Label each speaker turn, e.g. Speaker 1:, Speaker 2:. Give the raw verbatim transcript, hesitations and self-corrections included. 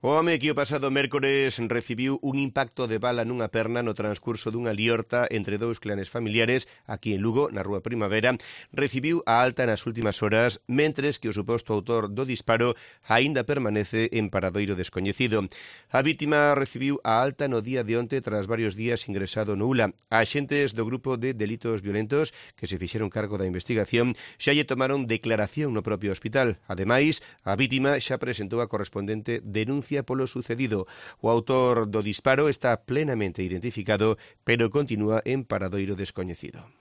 Speaker 1: O home que o pasado mércores recibiu un impacto de bala nunha perna no transcurso dunha liorta entre dous clanes familiares aquí en Lugo, na Rúa Primavera, recibiu a alta nas últimas horas, mentres que o suposto autor do disparo aínda permanece en paradoiro descoñecido. A vítima recibiu a alta no día de onte tras varios días ingresado no U L A. Axentes do grupo de delitos violentos que se fixeron cargo da investigación xa lle tomaron declaración no propio hospital. Ademais, a vítima xa presentou a correspondente denuncia polo sucedido. O autor do disparo está plenamente identificado, pero continúa en paradoiro descoñecido.